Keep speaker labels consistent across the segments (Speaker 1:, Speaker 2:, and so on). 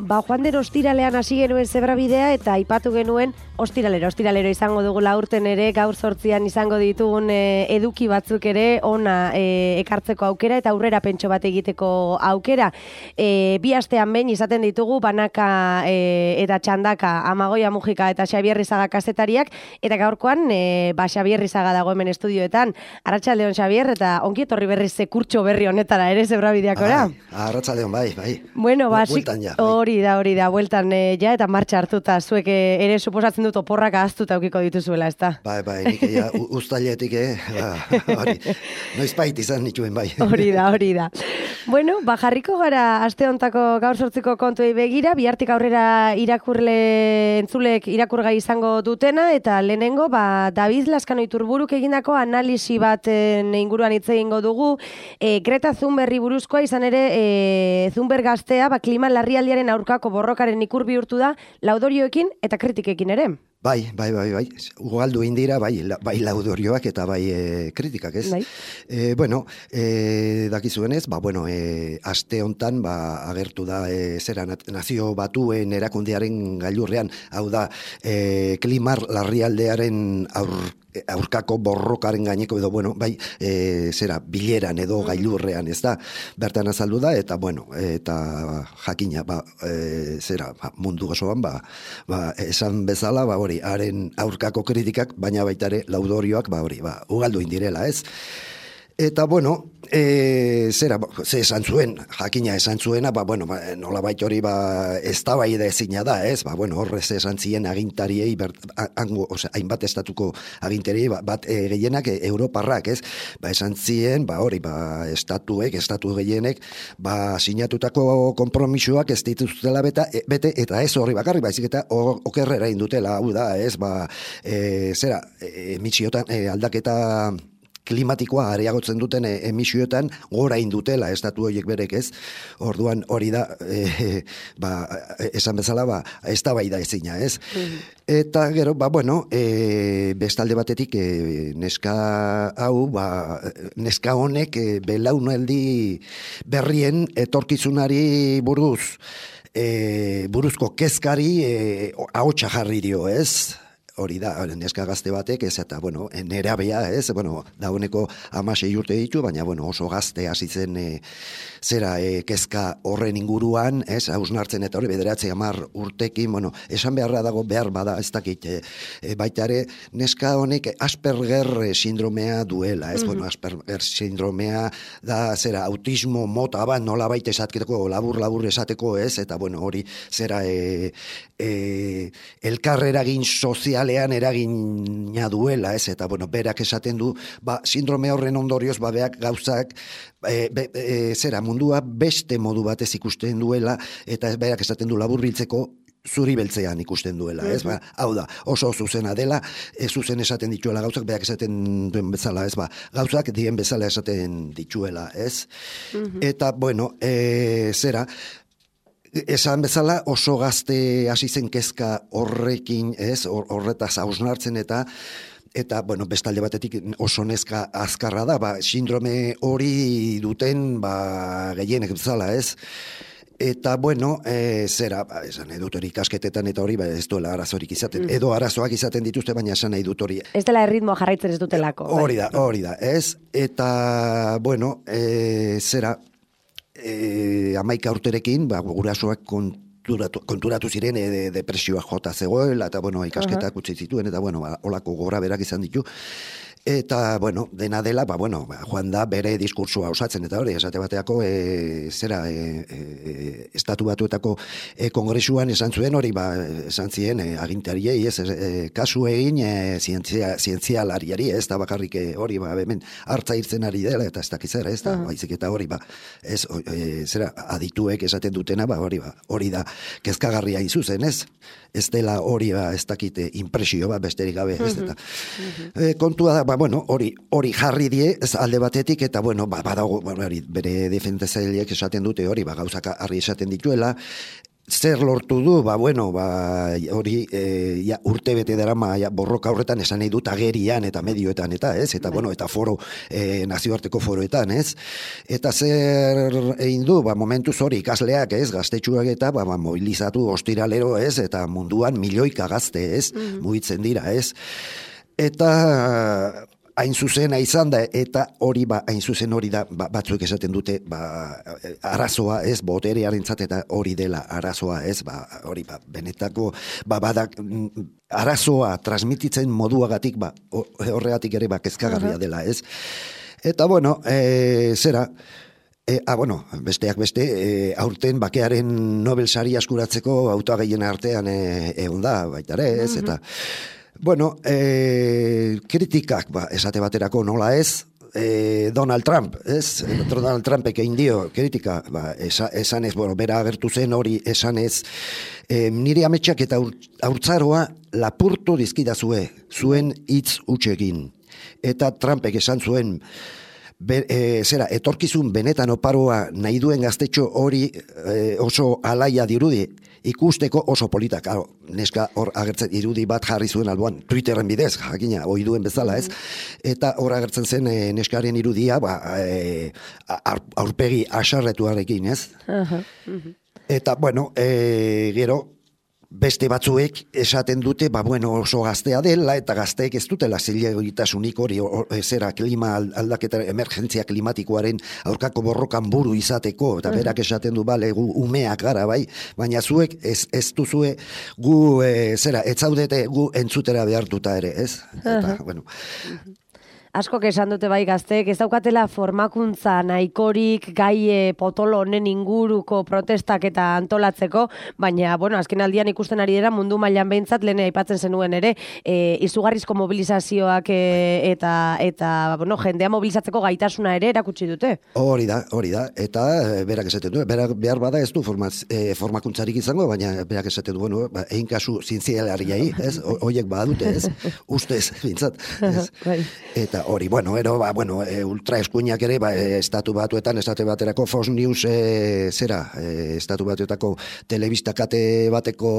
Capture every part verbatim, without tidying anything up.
Speaker 1: ba, joan den ostiralean hasi genuen zebrabidea eta aipatu genuen ostiralero, ostiralero izango dugula urten ere, gaur sortzian izango ditugun e, eduki batzuk ere ona e, ekartzeko aukera eta aurrera pentso bat egiteko aukera. E, bi astean behin izaten ditugu banaka e, eta txandaka Amagoia Mujika eta Xabier Rizaga kazetariak, eta gaurkoan e, ba, Xabier Rizaga dago hemen estudioetan. Arratsaldeon Xabier, eta ongi etorri berriz kurtso berri honetara ere zebrabideakora.
Speaker 2: Arratsaldeon, bai, bai.
Speaker 1: Bueno, ba, hori da, hori da, bueltan e, ja eta martxa hartuta, zuek ere suposatzen dut oporrak ahaztuta aukiko dituzuela, ez da?
Speaker 2: Bai, bai, nik ja uztailetik, eh, ba, hori, noiz bait izan nituen, bai.
Speaker 1: Hori da, hori da. Bueno, ba, jarriko gara aste hontako gaur sortziko kontuei begira, bihartik aurrera irakurle entzulek irakurgai izango dutena, eta lehenengo, ba, David Lazkano Iturburuk egindako analisi baten inguruan hitz egingo dugu, e, Greta Thunbergri buruzkoa, izan ere, e, Thunberg gaztea, ba, klima larrialdiaren aurkako borrokaren ikur bihurtu da, laudorioekin eta kritikekin ere.
Speaker 2: Bai, bai, bai, bai. Ugaldu indira, bai, la, bai laudorioak eta bai e, kritikak, ez?
Speaker 1: Bai.
Speaker 2: E, bueno, e, dakizuenez, ba, bueno, e, aste hontan, ba, agertu da, e, zera, nazio batuen erakundearen gailurrean, hau da, e, klimar larrialdearen aur, aurkako borrokaren gaineko edo, bueno, bai, e, zera, bileran edo gailurrean, ez da, bertan azaldu da, eta, bueno, eta jakina, ba, e, zera, ba, mundu osoan, ba, ba, esan bezala, ba, hori, haren aurkako kritikak, baina baita ere laudorioak, ba, hori, ba, ugaldu indirela, ez? Eta, bueno, e, zera, ze esan zuen, jakina esan zuena, ba, bueno, ba, nola baita hori, ba, ez da bai da ezina da, ez? Ba, bueno, horrez esan zien agintariei, ber, ango, ose, hainbat estatuko agintariei, ba, bat e, gehienak e, europarrak, ez? Ba, esan zien, ba, hori, ba, estatuek, estatu gehienek, ba, sinatutako konpromisoak ez dituztela beta, e, bete, eta ez horri bakarrik, baizik eta okerrera indutela, hau da, ez? Ba, e, zera, e, emitsiotan, e, aldaketa klimatikoa areagotzen duten emisioetan gora indutela estatu horiek berek, ez? Orduan hori da, e, ba, esan bezala, ba, ez da bai da ezina, ez? Mm. Eta gero, ba, bueno, e, bestalde batetik e, neska hau, ba, neska honek e, belaunaldi berrien etorkizunari buruz, e, buruzko kezkari e, ahotsa jarri dio, ez? Hori da, neska gazte batek, ez eta, bueno, nerabea, ez, bueno, dauneko hamasei urte ditu, baina, bueno, oso gazte hasi zen e, zera e, kezka horren inguruan, ez, hausnartzen eta hori bederatze hamar urtekin, bueno, esan beharra dago behar bada, ez dakit, e, e, baita ere, neska honek Asperger sindromea duela, ez, mm-hmm. Bueno, Asperger sindromea da, zera, autismo mota bat, nola baita esateko, labur-labur esateko, ez, eta, bueno, hori, zera, e, e, elkar eragin sozial eragina duela, ez, eta, bueno, berak esaten du, ba, sindrome horren ondorioz, ba, beak gauzak, e, be, e, zera, mundua beste modu batez ikusten duela, eta berak esaten du laburbiltzeko zuri beltzean ikusten duela, ez, ba, hau da, oso zuzena dela, ez zuzen esaten dituela gauzak, berak esaten duen bezala, ez, ba, gauzak dien bezala esaten dituela, ez, uh-huh. Eta, bueno, e, zera, esan bezala oso gazte hasi zen kezka horrekin, ez, horretaz hausnartzen eta eta, bueno, bestalde batetik oso neska azkarra da, ba, sindrome hori duten, ba, gehienek bezala, ez? Eta, bueno, e, zera, ba, esan edut hori ikasketetan eta hori, ba, ez duela arazorik izaten, mm. edo arazoak izaten dituzte, baina esan nahi dut hori.
Speaker 1: Ez dela erritmoa jarraitzen ez dutelako.
Speaker 2: Hori da, hori da, ez? Eta, bueno, e, zera, E, amaika urterekin, ba, gurasoak konturatu, konturatu ziren e, de, depresioak jota zegoela, eta, bueno, ikasketak uh-huh. utzi zituen, eta, bueno, ba, olako gora berak izan ditu. Eta, bueno, dena dela, ba, bueno, ba, joan da bere diskursua osatzen, eta hori, esate bateako, e, zera, e, e, estatu batuetako e, kongresuan esan zuen hori, ba, esan zien, e, agintariei, ez, e, kasu egin e, zientzia, zientzialariari, ez da bakarrik hori, ba, hemen hartza irtzen ari dela, eta ez dakizera, ez da, uh-huh. baizik eta hori, ba, ez, e, zera, adituek esaten dutena, ba, hori, ba, hori da, kezkagarria izuzen, ez? Ez dela hori, ba, ez dakite, impresio, ba, besterik gabe, ez, eta, uh-huh. e, kontua da, ba, bueno, hori, hori jarri die, ez alde batetik, eta, bueno, ba, badago, bueno, hori, bere defendatzaileek esaten dute hori, ba, gauzak harri esaten dituela, zer lortu du, ba, bueno, ba, hori e, ja, urte bete darama ja, borroka horretan esan nahi dut agerian eta medioetan eta, ez? Eta, bueno, eta foro, e, nazioarteko foroetan, ez? Eta zer egin du, ba, momentuz hori ikasleak, ez? Gaztetxuak eta, ba, ba, mobilizatu ostiralero, ez? Eta munduan milioika gazte, ez? Mm-hmm. Mugitzen dira, ez? Eta hain zuzena izan da, eta hori ba, hain zuzen hori da, ba, batzuek esaten dute, ba, arazoa, ez, boterearentzat eta hori dela arazoa, ez, ba, hori, ba, benetako, ba, badak, arazoa transmititzen moduagatik, ba, horregatik ere, ba, kezkagarria dela, ez. Eta, bueno, e, zera, E, ah, bueno, besteak beste, e, aurten bakearen Nobel sari askuratzeko hautagaien artean e, egon da, baita ere, ez, eta, bueno, e, kritikak, ba, esate baterako nola ez, e, Donald Trump, ez, Donald Trumpek egin dio kritika, ba, esa, esan ez, bueno, bera agertu zen hori esan ez, e, nire ametsak eta haurtzaroa lapurtu dizkidazue, zuen hitz utxegin, eta Trumpek esan zuen, Be, e, zera, etorkizun benetan oparoa nahi duen gaztetxo hori e, oso alaia dirudi, ikusteko oso politak, claro, neska hor agertzen irudi bat jarri zuen alboan, Twitterren bidez, jakina, hoi duen bezala, ez? Eta hor agertzen zen e, neskaren irudia, ba, e, aurpegi asarretuarekin, ez? Uh-huh. Uh-huh. Eta, bueno, e, gero, beste batzuek esaten dute, ba, bueno, oso gaztea dela, eta gazteek ez dutela zilegitasunik hori, zera, klima aldaketa, emergentzia klimatikoaren aurkako borrokan buru izateko, eta berak esaten du, bale, gu umeak gara, bai, baina zuek ez, ez duzue gu, e, zera, ez zaudete gu entzutera behartuta ere, ez? Eta, bueno...
Speaker 1: Askok esan dute bai gazteek, ez daukatela formakuntza nahikorik gai potolo honen inguruko protestak eta antolatzeko, baina, bueno, azken aldian ikusten ari dira mundu mailan behintzat, lehen aipatzen zenuen ere, e, izugarrizko mobilizazioak e, eta, eta bueno, jendea mobilizatzeko gaitasuna ere erakutsi dute.
Speaker 2: Hori da, hori da, eta berak esaten du, berak behar bada ez du formaz, e, formakuntzarik izango, baina berak esaten du, bueno, ba, egin kasu zientzialariai, ez, hoiek badute, ez, ustez, bintzat, ez, eta hori, bueno, ero, ba, bueno, e, ultra eskuinak ere, ba, e, estatu batuetan, estate baterako Fox News, e, zera, e, estatu batuetako telebista kate bateko,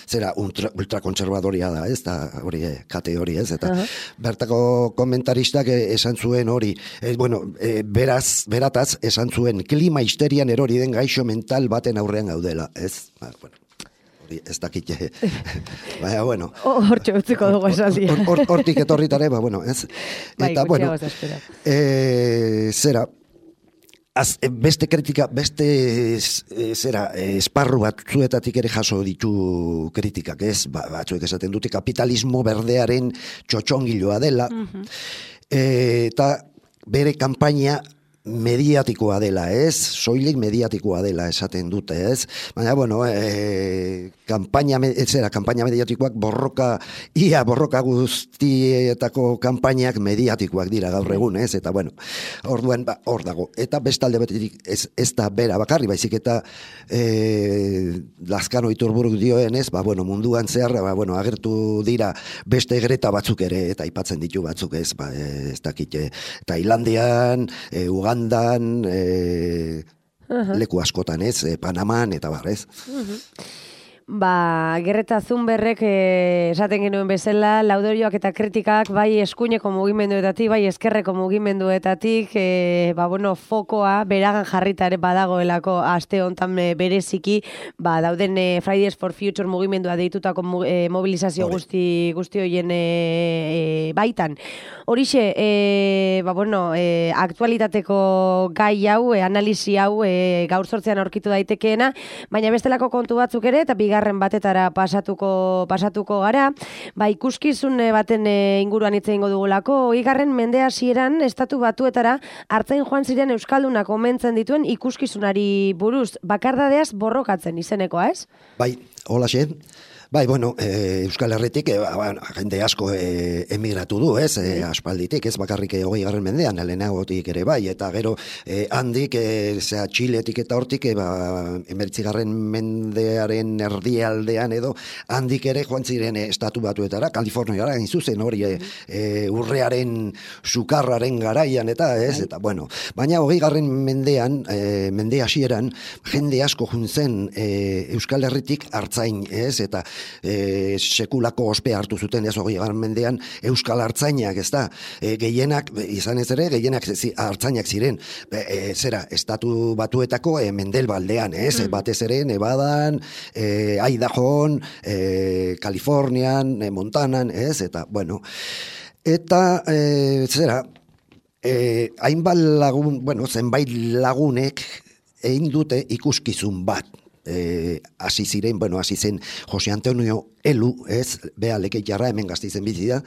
Speaker 2: zera, ultra, ultra konservadoria da, ez, da, hori, e, kate hori, ez, eta uh-huh. bertako komentaristak e, esan zuen hori, e, bueno, e, beraz, berataz, esan zuen, klima histerian erori den gaixo mental baten aurrean gaudela, ez, ba, bueno. Ez dakit, baina, bueno.
Speaker 1: Hortxe utziko dugu esaldia.
Speaker 2: Hortik etorritare, ba, bueno, ez. Eta, bueno, e, zera, az, beste kritika, beste e, zera, esparru bat zuetatik ere jaso ditu kritikak, ez? Ba, batzuek esaten dute kapitalismo berdearen txotxongiloa dela, uh-huh. e, eta bere kanpaina mediatikoa dela, ez? Soilik mediatikoa dela esaten dute, ez? Baina, bueno, e, kampaina, ez era, kampaina mediatikoak borroka, ia borroka guztietako kanpainak mediatikoak dira gaur egun, ez? Eta, bueno, orduan, ba, hor dago. Eta bestalde betetik ez, ez da bera bakarri, baizik eta e, Lazkano Iturburuk dioen, ez? Ba, bueno, munduan zehar, ba, bueno, agertu dira beste Greta batzuk ere, eta aipatzen ditu batzuk, ez? Ba, ez dakit, e, Tailandian, e, Ugandan, Dan, e, uh-huh. leku askotan, ez, e, Panaman, eta bar, ez.
Speaker 1: Uh-huh. Ba, Greta Thunbergek eh, esaten genuen bezala, laudorioak eta kritikak bai eskuineko mugimenduetatik, bai eskerreko mugimenduetatik, eh, ba, bueno, fokoa beragan jarrita ere badagoelako aste hontan bereziki, ba, dauden eh, Fridays for Future mugimendua deitutako eh, mobilizazio Hori. guzti guzti hoien eh, baitan. Horixe, eh, ba, bueno, eh, aktualitateko gai hau, eh, analisi hau eh, gaur sortzean aurkitu daitekeena, baina bestelako kontu batzuk ere, eta bigarren batetara pasatuko pasatuko gara, ba ikuskizun baten inguruan hitz egingo dugulako. Hogeigarren mende hasieran estatu batuetara hartzain joan ziren euskaldunak omentzen dituen ikuskizunari buruz, bakardadeaz borrokatzen izenekoa, ez?
Speaker 2: Bai, holaxe. Bai, bueno, e, Euskal Herritik e, bueno, jende asko e, emigratu du, ez, e, aspalditik, ez bakarrik hogei garren mendean, lehenagotik ere bai, eta gero e, handik, e, zera, Txiletik eta hortik, e, ba, emeritzigarren mendearen erdialdean edo, handik ere joan ziren e, estatu batuetara, Kaliforniara, hain zuzen hori, e, e, urrearen sukarraren garaian, eta ez, eta bueno, baina hogei garren mendean, e, mende hasieran, jende asko juntzen e, Euskal Herritik hartzain, ez, eta E, sekulako ospe hartu zuten ez hogei garren mendean Euskal Artzainak, ez da, e, gehienak, izan ez ere, gehienak zi, artzainak ziren, e, zera, estatu batuetako e, Mendelbaldean, ez, mm. batez ere, Nevadan, e, Idahoan, e, Kalifornian, e, Montanan, ez, eta, bueno, eta, e, zera, e, hainbat lagun, bueno, zenbait lagunek egin dute ikuskizun bat, Eh, hasi ziren, bueno, hasi zen Jose Antonio Elu, ez, bea Lekeitarra hemen Gasteizen bizi da,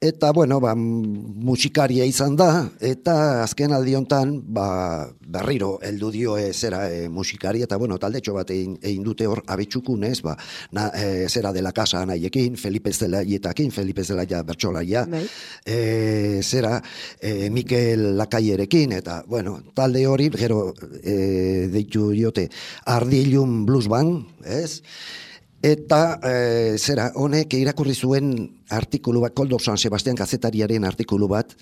Speaker 2: eta, bueno, ba, musikaria izan da, eta azken aldi hontan, ba, berriro heldu dio e, zera e, musikari, eta, bueno, taldetxo bat egin, egin dute hor abetsukun, ez, ba, na, e, zera de la casa anaiekin, Felipe Zelaietakin, Felipe Zelaia bertsolaia, e, zera, e, Mikel Lakaierekin, eta, bueno, talde hori, gero, e, deitu diote, Ardilun Blues Band, ez, eta e, zera, honek irakurri zuen artikulu bat, Koldo San Sebastian kazetariaren artikulu bat,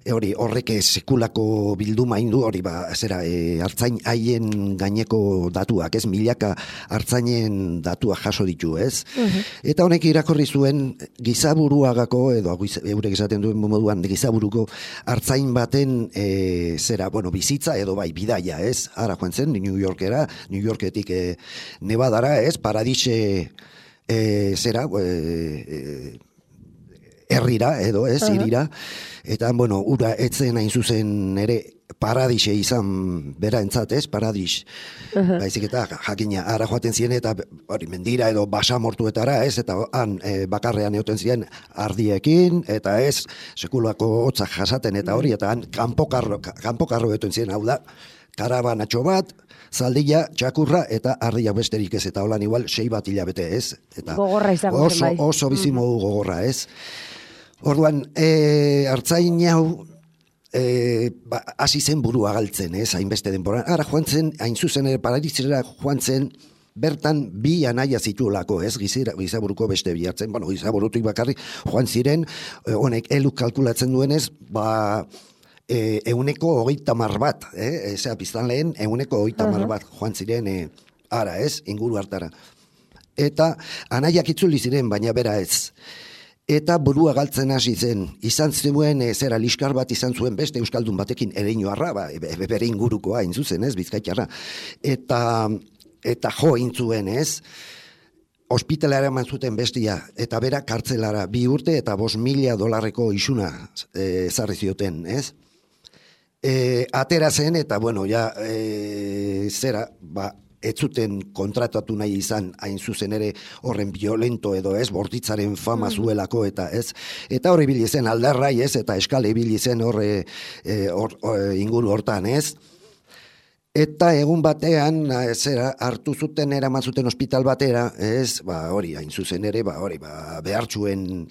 Speaker 2: e, hori horrek sekulako bilduma indu, hori ba, zera, e, hartzain haien gaineko datuak, ez, milaka hartzainen datuak jaso ditu, ez? Uh-huh. Eta honek irakurri zuen gizaburuagako, edo eurek esaten duen moduan, gizaburuko hartzain baten, e, zera, bueno, bizitza edo bai, bidaia, ez? Ara joan zen, New Yorkera, New Yorketik e, Nevadara, ez? Paradise, e, zera, e, herrira edo ez, uh-huh. irira, eta, bueno, ura etzen hain zuzen ere paradise izan bera entzat, ez, paradis. Uh-huh. Baizik eta jakina, ara joaten ziren eta hori mendira edo basamortuetara, ez, eta han e, bakarrean egoten ziren ardiekin, eta ez, sekulako hotzak jasaten eta hori, eta han kanpokarro, kanpokarro egoten ziren, hau da, karabanatxo bat, zaldilla, txakurra eta ardia besterik ez, eta holan igual sei bat hilabete, ez. Eta
Speaker 1: gogorra izango
Speaker 2: oso, zen bai. Oso bizimo mm-hmm. gogorra, ez. Orduan, e, hartzain hau, e, ba, hasi zen burua galtzen, ez, hainbeste denbora. Ara joan zen, hain zuzen ere paradizera joan zen, bertan bi anaia zituelako, ez, Gizira, gizaburuko beste bi hartzen, bueno, gizaburutik bakarrik joan ziren, honek eluk kalkulatzen duenez, ba, e, euneko hogeita mar bat, eh, ezea piztan lehen, euneko hogeita mar bat joan ziren, e, ara, ez, inguru hartara. Eta anaiak itzuli ziren, baina bera ez. Eta burua galtzen hasi zen, izan zuen, e, zera liskar bat izan zuen beste euskaldun batekin ereinoarra, ba, e, bere ingurukoa, hain zuzen, ez, Bizkaitarra. Eta, eta jo intzuen, ez, ospitalara eman zuten bestia, eta bera kartzelara bi urte eta bost mila dolarreko isuna ezarri e, zioten, ez? E, atera zen, eta, bueno, ja, e, zera, ba, ez zuten kontratatu nahi izan hain zuzen ere horren violento edo ez, bortitzaren fama zuelako eta ez, eta horre ibili zen aldarrai ez, eta eskale ibili zen horre e, or, or, inguru hortan ez, eta egun batean zera hartu zuten eraman zuten ospital batera ez, ba hori hain zuzen ere, ba hori ba, behartxuen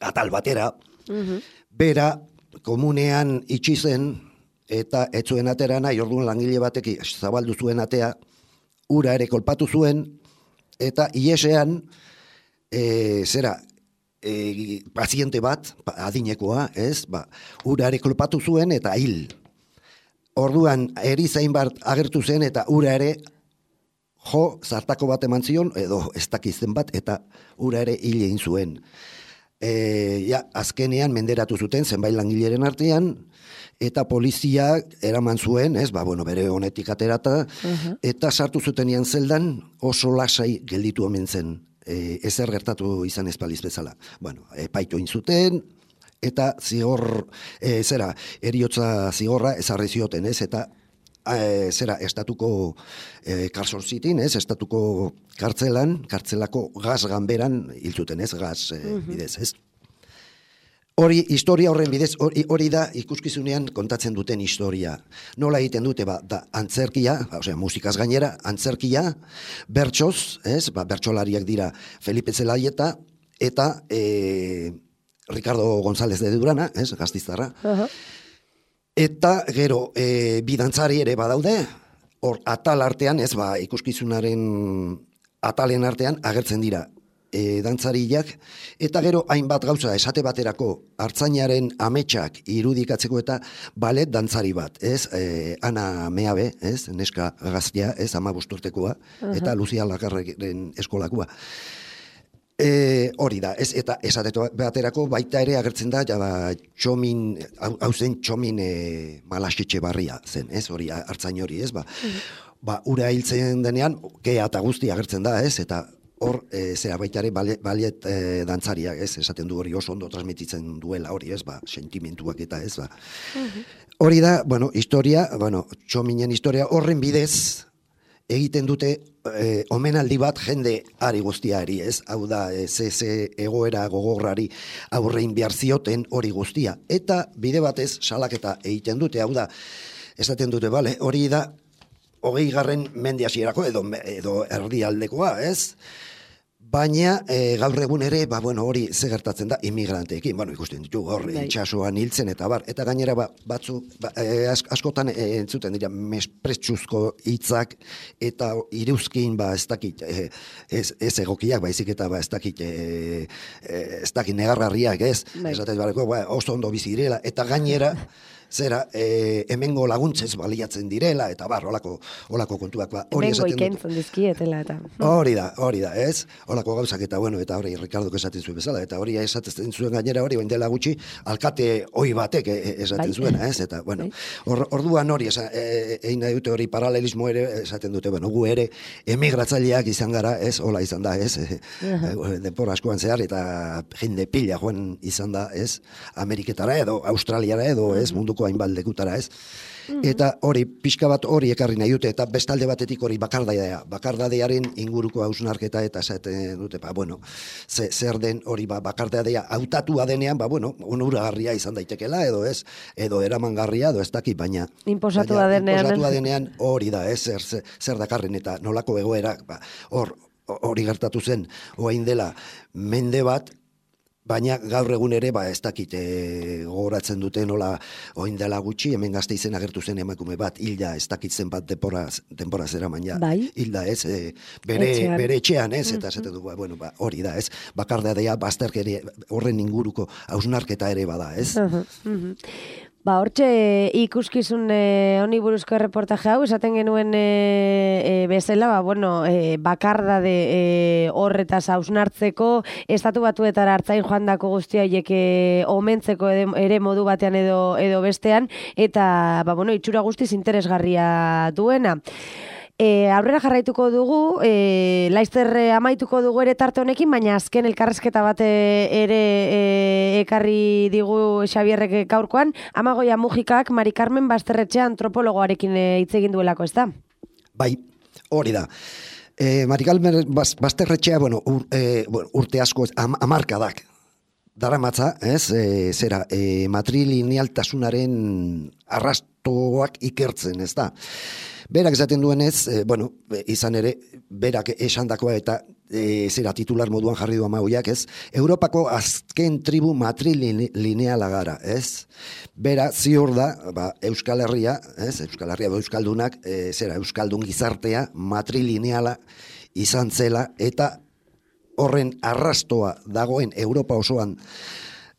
Speaker 2: atal batera, uh-huh. bera komunean itxi zen eta ez zuen atera nahi, orduan langile batek zabaldu zuen atea, ura ere kolpatu zuen, eta iesean, e, zera, e, paziente bat, adinekoa, ez, ba, ura ere kolpatu zuen, eta hil. Orduan, erizain bat agertu zen, eta ura ere, jo, zartako bat eman zion, edo ez dakizten bat, eta ura ere hil egin zuen. E, ja, azkenean menderatu zuten, zenbait langileren artean, eta polizia eraman zuen, ez, ba, bueno, bere honetik aterata, uh-huh. eta sartu zutenean zeldan oso lasai gelditu omen zen, e, ezer gertatu izan espaliz bezala. Bueno, epaitu egin zuten, eta zigor, e, zera, eriotza zigorra ezarri zioten, ez, eta e, zera, estatuko e, karsorzitin, ez, estatuko kartzelan, kartzelako gaz ganberan hil zuten, ez, gaz e, uh-huh. bidez, ez. Hori, historia horren bidez, hori, hori da ikuskizunean kontatzen duten historia. Nola egiten dute, ba, da, antzerkia, ba, osea, musikaz gainera, antzerkia, bertsoz, ez, ba, bertsolariak dira Felipe Zelaieta, eta e, Ricardo González de Durana, ez, Gastiztarra. Uh-huh. Eta, gero, e, bidantzari ere badaude, hor, atal artean, ez, ba, ikuskizunaren atalen artean agertzen dira E, dantzariak, eta gero hainbat gauza esate baterako hartzainaren ametsak irudikatzeko eta balet dantzari bat, ez? E, Ana Meabe, ez? Neska gaztea, ez? Ama bosturtekoa, uh-huh. eta Lucia Lagarren eskolakua. E, hori da, ez? Eta esate baterako baita ere agertzen da, ja, ba, txomin, hau zen txomin e, Malaxetxe barria zen, ez? Hori, hartzain hori, ez? Ba, uh-huh. ba, ura hiltzen denean, kea eta guzti agertzen da, ez? Eta hor, e, zera baitare baliet e, dantzariak, ez, esaten du hori oso ondo transmititzen duela hori, ez, ba, sentimentuak eta ez, ba. Uh-huh. Hori da, bueno, historia, bueno, txominen historia horren bidez egiten dute e, omenaldi bat jende ari guztiari, ez, hau da, e, ze, ze egoera gogorrari aurrein behar zioten hori guztia. Eta bide batez salaketa egiten dute, hau da, esaten dute, bale, hori da, hogei garren mende hasierako edo, edo erdialdekoa, ez? Baina e, gaur egun ere, ba, bueno, hori ze gertatzen da immigranteekin, bueno, ikusten ditu hor itxasoan hiltzen eta bar, eta gainera ba, batzu, ba, e, askotan e, entzuten dira mespretsuzko hitzak eta iruzkin, ba, ez dakit, e, ez, ez egokiak, baizik eta ba, ez dakit, e, e, ez dakit negargarriak, ez? Esaten bareko, ba, oso ondo bizi direla, eta gainera, zera, e, hemengo laguntzez baliatzen direla, eta bar, olako, olako kontuak, ba, hori esaten dut.
Speaker 1: Hemengo ikentzun dizkietela, eta.
Speaker 2: Hori da, hori da, ez? Olako gauzak, eta bueno, eta hori, Ricardok esaten zuen bezala, eta hori esaten zuen gainera hori, oin dela gutxi, alkate hoi batek esaten bai. Zuena, ez? Eta, bueno, or, orduan hori, esa, e, egin nahi dute hori paralelismo ere, esaten dute, bueno, gu ere, emigratzaileak izan gara, ez? Hola izan da, ez? Uh-huh. Denpora askoan zehar, eta jende pila joan izan da, ez? Ameriketara edo, Australiara edo, ez? Munduko hainbat lekutara, ez? Mm-hmm. Eta hori, pixka bat hori ekarri nahi dute, eta bestalde batetik hori bakardadea, bakardadearen inguruko hausnarketa, eta esaten dute, ba, bueno, ze, zer den hori ba, bakardadea hautatua denean, ba, bueno, onuragarria izan daitekela, edo ez, edo eramangarria, edo ez daki, baina
Speaker 1: Inposatua denean,
Speaker 2: inposatua denean hori da, ez, zer, zer, zer dakarren, eta nolako egoera, ba, hor, hori gertatu zen, oain dela, mende bat, baina gaur egun ere, ba, ez dakit, e, gogoratzen dute nola oin dela gutxi, hemen Gasteizen agertu zen emakume bat, hilda, ez dakit zen bat denpora, denpora zera baina,
Speaker 1: bai.
Speaker 2: Hilda, ez, e, bere, etxean. bere etxean, ez, eta esaten du, bueno, ba, hori da, ez, bakardadea, bazterkeri, horren inguruko hausnarketa ere bada, ez?
Speaker 1: Uh-huh, uh-huh. Ba, hortxe ikuskizun e, honi buruzko erreportaje hau, esaten genuen e, e, bezala, ba, bueno, e, bakardade e, horretaz hausnartzeko, estatu batuetara hartzain joandako guztia hiek e, omentzeko ere, ere modu batean edo, edo bestean, eta, ba, bueno, itxura guztiz interesgarria duena. E, aurrera jarraituko dugu, e, laizter amaituko dugu ere tarte honekin, baina azken elkarrezketa bat ere e, ekarri digu Xabierrek gaurkoan, Amagoia Mujikak Mari Carmen Basterretxea antropologoarekin hitz egin duelako, ez da?
Speaker 2: Bai, hori da. E, Mari Carmen Basterretxea, bueno, ur, e, urte asko, am, amarkadak, daramatza, ez, e, zera, e, matrilinealtasunaren arrastoak ikertzen, ez da? Berak esaten duenez, e, bueno, izan ere, berak esandakoa eta e, zera titular moduan jarri du Amagoiak, ez? Europako azken tribu matrilineala gara, ez? Bera, ziur da, ba, Euskal Herria, ez? Euskal Herria, Euskaldunak, e, zera, Euskaldun gizartea matrilineala izan zela, eta horren arrastoa dagoen Europa osoan,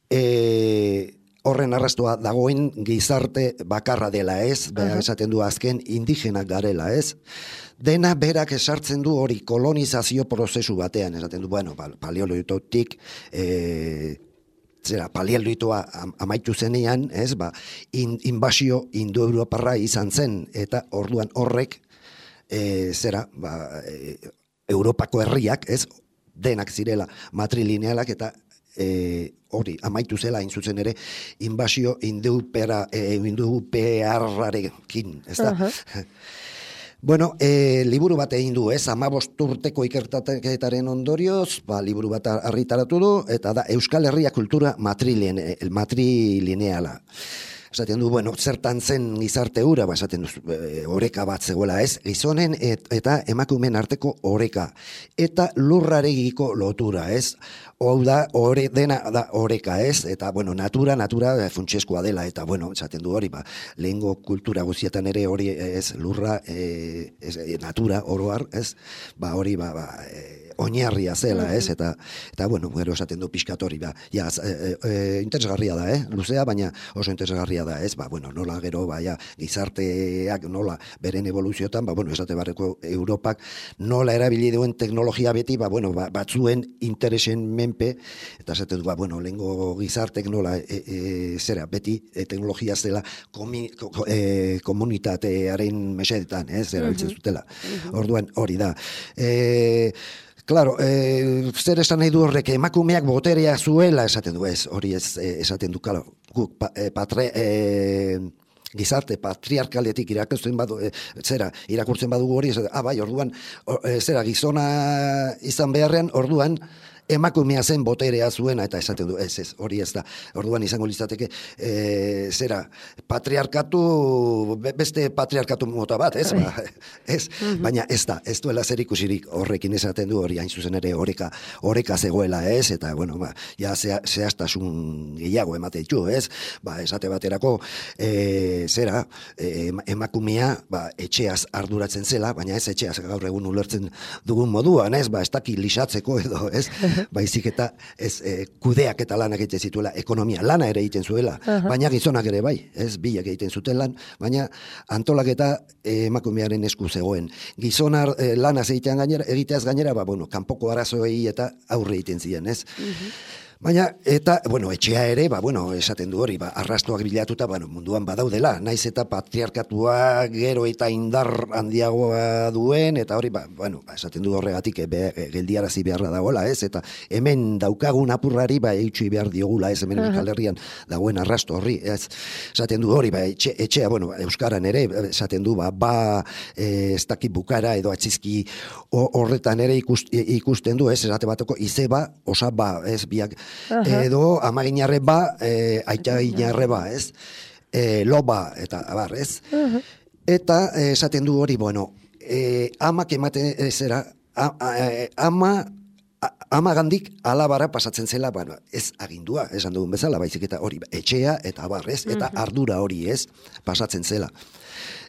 Speaker 2: e, horren arrastoa dagoen gizarte bakarra dela, ez? Berak esaten du azken indigenak garela, ez? Dena berak esartzen du hori kolonizazio prozesu batean, esaten du, bueno, paleolitotik, e, zera, paleolitoa amaitu zenean, ez? Ba, in, inbasio indoeuroparra izan zen, eta orduan horrek, e, zera, ba, e, Europako herriak, ez? Denak zirela matrilinealak, eta E, hori, amaitu zela hain zuzen ere, inbasio indeupera, e, indeupearrarekin, ez da? Uh-huh. Bueno, e, liburu bat egin du, ez, hamabost urteko ikertaketaren ondorioz, ba, liburu bat argitaratu du, eta da Euskal Herria kultura matriline, matrilineala. Esaten du, bueno, zertan zen gizarte hura, ba, esaten du, e, oreka bat zegoela, ez, gizonen et, eta emakumeen arteko oreka, eta lurraregiko lotura, ez, hau da, ore, dena da oreka, ez, eta, bueno, natura, natura funtsezkoa dela, eta, bueno, esaten du hori, ba, lehengo kultura guztietan ere hori, ez, lurra, e, ez, natura, oroar, ez, ba, hori, ba, ba, e, oinarria zela, ez, eta, eta bueno, gero esaten du pixkat hori, ba, ja, e, e, interesgarria da, eh, luzea, baina oso interesgarria da, ez, ba, bueno, nola gero, ba, ja, gizarteak nola beren evoluziotan, ba, bueno, esate barreko Europak nola erabili duen teknologia beti, ba, bueno, ba, batzuen interesen menpe, eta esaten du, ba, bueno, lehengo gizartek nola, e, e, zera, beti e, teknologia zela komi, ko, e, komunitatearen mesedetan, ez, erabiltzen zutela. Orduan, hori da. E, Claro, eh, zer esan nahi du horrek, emakumeak boterea zuela esaten du, ez, hori ez esaten du, claro, guk pa, eh, patre, eh, gizarte patriarkaletik irakurtzen badu, e, zera, irakurtzen badugu hori, ez, ah, bai, orduan, or, e, zera, gizona izan beharrean, orduan, emakumea zen boterea zuena, eta esaten du, ez, ez, hori ez da. Orduan izango litzateke, e, zera, patriarkatu, beste patriarkatu mota bat, ez? Ba, ez, baina ez da, ez duela zer ikusirik horrekin esaten du, hori hain zuzen ere oreka, oreka zegoela, ez? Eta, bueno, ba, ja, ze, zehaztasun gehiago emate ditu, ez? Ba, esate baterako, e, zera, e, emakumea, ba, etxeaz arduratzen zela, baina ez etxeaz gaur egun ulertzen dugun moduan, ez? Ba, ez daki lisatzeko edo, ez? Baizik eta ez e, kudeak eta lanak egiten zituela, ekonomia lana ere egiten zuela, uh-huh. baina gizonak ere bai, ez bilak egiten zuten lan, baina antolaketa e, emakumearen esku zegoen. Gizonar e, lanaz egitean gainera, egiteaz gainera, ba, bueno, kanpoko arazoei eta aurre egiten ziren, ez? Uh-huh. Baina, eta, bueno, etxea ere, ba, bueno, esaten du hori, ba, arrastoak bilatuta, bueno, munduan badaudela, naiz eta patriarkatua gero eta indar handiagoa duen, eta hori, ba, bueno, ba, esaten du horregatik, e, be, e, geldiarazi beharra dagoela, ez, eta hemen daukagun apurrari, ba, eutxi behar diogula, ez, hemen Euskal Herrian dagoen arrasto horri, ez, esaten du hori, ba, etxe, etxea, bueno, Euskaran ere, esaten du, ba, ba, e, ez dakit bukara, edo atzizki horretan ere ikust, ikusten du, ez, esate bateko, izeba, osa, ba, ez, biak, Uh-huh. edo amaginarre ba, e, aita ginarre ba, ez? E, loba, eta abar, ez? Uh-huh. Eta esaten du hori, bueno, e, amak ematen zera, a, a, ama, a, ama gandik alabara pasatzen zela, bueno, ez agindua, esan dugun bezala, baizik eta hori, etxea, eta abar, ez? Eta uh-huh. ardura hori, ez? Pasatzen zela.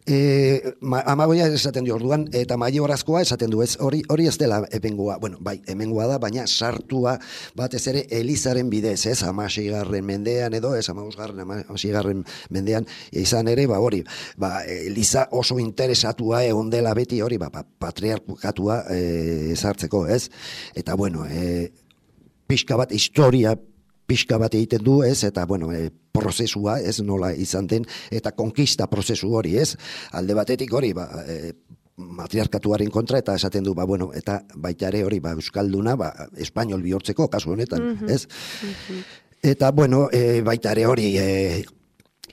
Speaker 2: E, ma, amagoia esaten du orduan, eta maiorazkoa esaten du, ez, hori hori ez dela hemengoa, bueno, bai, hemengoa da, baina sartua batez ere Elizaren bidez, ez, hamaseigarren mendean edo, ez, hamabosgarren, hamaseigarren mendean, izan ere, ba, hori, ba, Eliza oso interesatua egon dela beti hori, ba, patriarkatua e, sartzeko, ez, eta, bueno, e, pixka bat, historia pixka bat egiten du, ez, eta, bueno, e, prozesua, ez, nola izan den, eta konkista prozesu hori, ez, alde batetik hori, ba, e, matriarkatuaren kontra, eta esaten du, ba, bueno, eta baita ere hori, ba, euskalduna, ba, espainol bihurtzeko, kasu honetan, mm-hmm. ez, mm-hmm. eta, bueno, e, baita ere hori, e,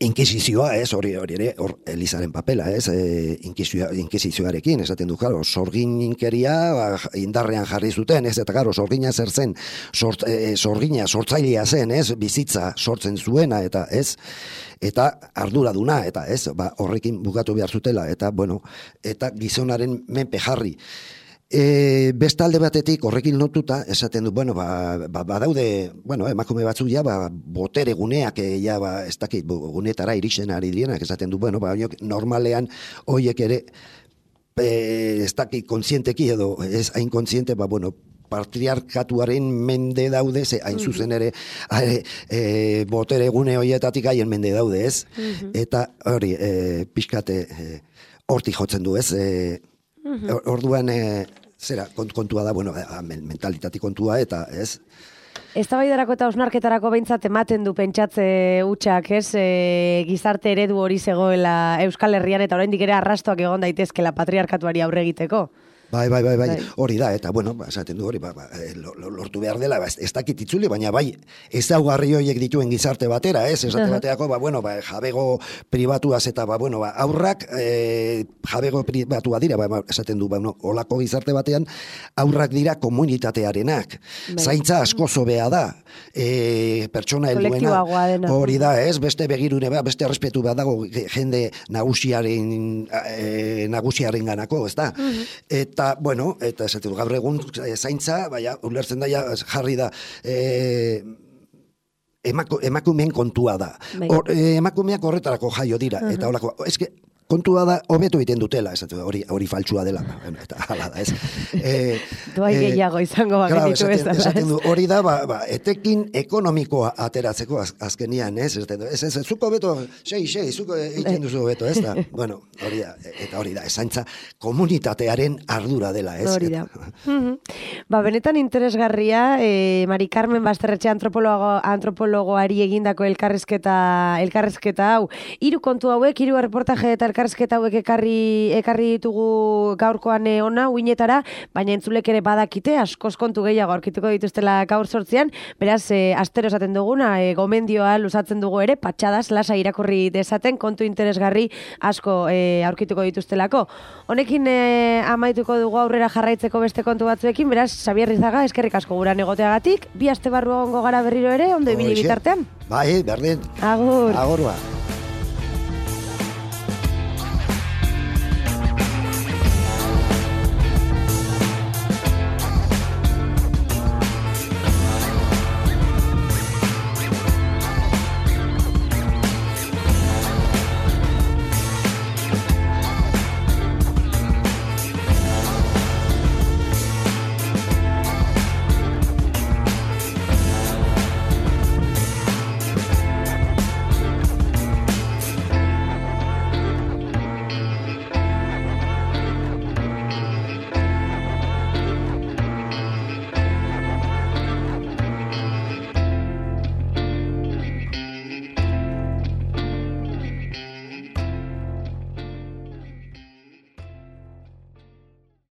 Speaker 2: inkisizioa, ez, hori hori ere, hor Elizaren papela, ez, e, inkisizioarekin, esaten du, claro, sorgin inkeria, ba, indarrean jarri zuten, ez, eta claro, sorgina zer zen, sort, e, sorgina, sortzailea zen, ez, bizitza sortzen zuena, eta ez, eta arduraduna, eta ez, ba, horrekin bukatu behar zutela, eta, bueno, eta gizonaren menpe jarri. E, bestalde batetik horrekin lotuta esaten du, bueno, ba, ba, badaude, bueno, emakume batzuk ja, ba, botere guneak, e, ja, ba, ez dakit, gunetara iristen ari dienak, esaten du, bueno, ba, normalean, hoiek ere, e, ez dakit, kontzienteki edo, ez hain kontziente, ba, bueno, patriarkatuaren mende daude, ze hain zuzen ere, e, e, botere gune hoietatik haien mende daude, ez? Mm-hmm. Eta hori, e, pixkate, e, hortik jotzen du, ez? E, mm-hmm. Orduan, e, zera, kontua da, bueno, mentalitati kontua, eta, ez?
Speaker 1: Eztabaidarako eta osnarketarako behintzat ematen du pentsatze hutsak, ez? E, gizarte eredu hori zegoela Euskal Herrian, eta oraindik ere arrastoak egon daitezkela patriarkatuari aurre egiteko.
Speaker 2: Bai, bai, bai, bai, hori da, eta bueno, ba, esaten du hori, ba, ba, lortu behar dela, ba, ez dakit itzuli, baina bai, ezaugarri horiek dituen gizarte batera, ez, esate bateako, ba, bueno, ba, jabego pribatuaz eta, ba, bueno, ba, aurrak e, jabego pribatua dira, ba, esaten du, ba, no, olako gizarte batean, aurrak dira komunitatearenak, bai. Zaintza asko zobea da, e, pertsona helduena, hori da, ez, beste begirune, ba, beste errespetu bat dago jende nagusiaren, e, nagusiaren ganako, ez da, mm-hmm. eta Eta, bueno, eta esaten du, gaur egun zaintza, baina, ulertzen da, jarri da, e, emako, emakumeen kontua da. Or, e, emakumeak horretarako jaio dira, uh-huh. eta holako, eske, kontua da, hobetu egiten dutela, esatu, hori, hori faltsua dela, eta hala da, ez. E,
Speaker 1: Doai gehiago izango bagenitu
Speaker 2: ez da.
Speaker 1: Esaten
Speaker 2: du, hori da, ba, ba, etekin ekonomikoa ateratzeko az, azkenian, ez, ez, ez, ez, zuko beto, sei, sei, zuko egiten duzu beto, ez da, bueno, hori da, eta hori da, esaintza komunitatearen ardura dela, ez.
Speaker 1: Hori da. Ba, benetan interesgarria, eh, Mari Carmen Basterretxe antropologo, antropologoari egindako elkarrizketa, elkarrizketa hau, hiru kontu hauek, hiru reportaje eta elkarrizketa hauek ekarri, ekarri ditugu gaurkoan ona, uinetara, baina entzulek ere badakite, askoz kontu gehiago aurkituko dituztela gaur sortzean, beraz, e, astero esaten duguna, e, gomendioa luzatzen dugu ere, patxadas, lasa irakurri dezaten, kontu interesgarri asko e, aurkituko dituztelako. Honekin e, amaituko dugu aurrera jarraitzeko beste kontu batzuekin, beraz, Xabier Rizaga, eskerrik asko guran egoteagatik, bi aste barru egongo gara berriro ere, ondo ibili bitartean.
Speaker 2: Bai, berdin.
Speaker 1: Agur.
Speaker 2: Agurua.